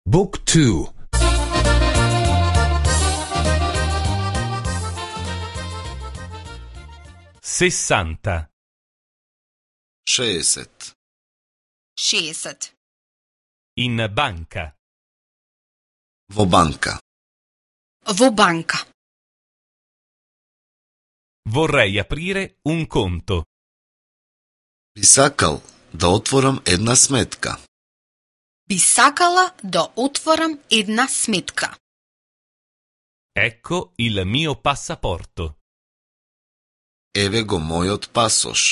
Book 2. 60. 60. 60. In banca. Во банка. Во банка. Vorrei aprire un conto. Би сакал да отворам една сметка. Би сакала да отворам една сметка. Ecco il mio passaporto. Еве го мојот пасош.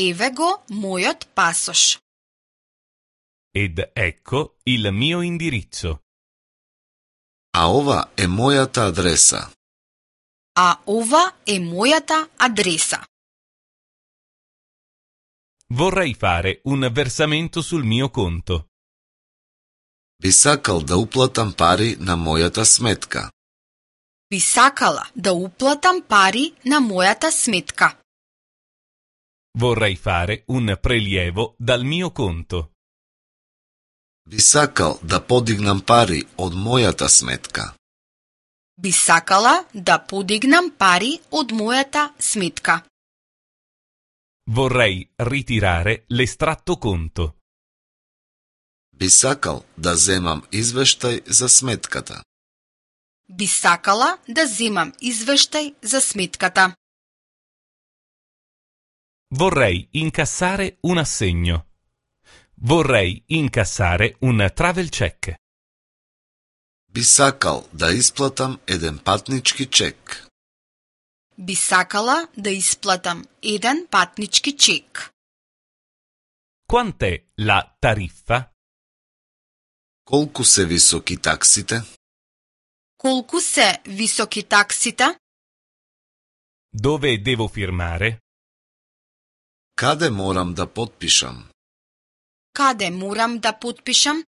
Еве го мојот пасош. Ed ecco il mio indirizzo. А ова е мојата адреса. А ова е мојата адреса. Vorrei fare un versamento sul mio conto. Би сакал да уплатам пари на мојата сметка. Би сакала да уплатам пари на мојата сметка. Vorrei fare un prelievo dal mio conto. Би сакал да подигнам пари од мојата сметка. Би сакала да подигнам пари од мојата сметка. Vorrei ritirare l'estratto conto. Би сакал да земам извештај за сметката. Би сакала да земам извештај за сметката. Vorrei incassare un assegno. Vorrei incassare un travel check. Би сакал да исплатам еден патнички чек. Би сакала да исплатам еден патнички чек. Quant'è la tariffa? Колку се високи таксите? Колку се високи таксите? Dove devo firmare? Каде морам да потпишам? Каде морам да потпишам?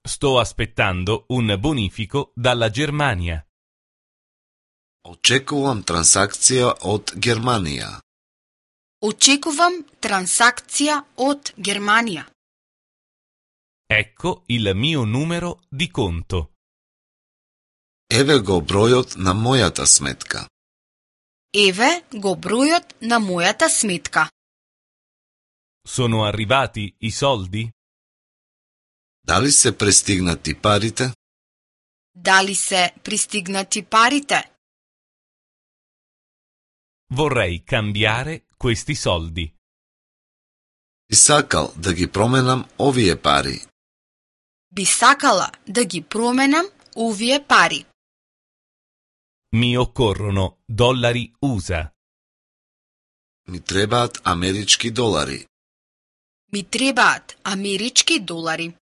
Sto aspettando un bonifico dalla Germania. Очекувам трансакција од Германија. Очекувам трансакција од Германија. Ecco il mio numero di conto. Еве го бројот на мојата сметка. Еве го бројот на мојата сметка. Sono arrivati i soldi? Дали се пристигнати парите? Дали се пристигнати парите? Vorrei cambiare questi soldi. Би сакал да ги променам овие пари. Би сакала да ги променам овие пари. Mi occorrono dollari USA. Ми требаат амерички долари. Ми требаат амерички долари.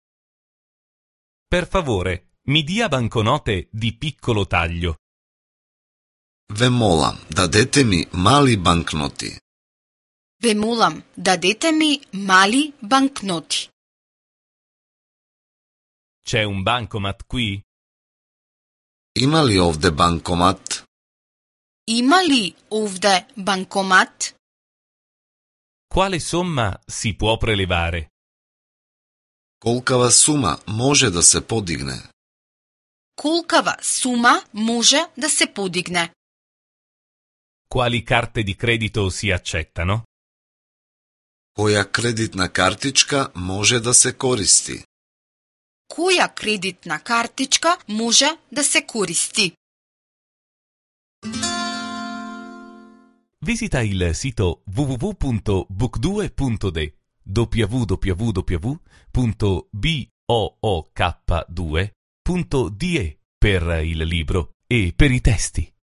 Per favore, mi dia banconote di piccolo taglio. Ве молам, дадете ми мали банкноти. Ве молам, дадете ми мали банкноти. C'è un bancomat qui? Има ли овде банкомат? Има ли овде банкомат? Quale somma si può prelevare? Колкава сума може да се подигне? Колкава сума може да се подигне? Quali carte di credito si accettano? Која кредитна картичка може да се користи? Која кредитна картичка може да се користи? Visita il sito www.book2.de www.book2.de per il libro e per i testi.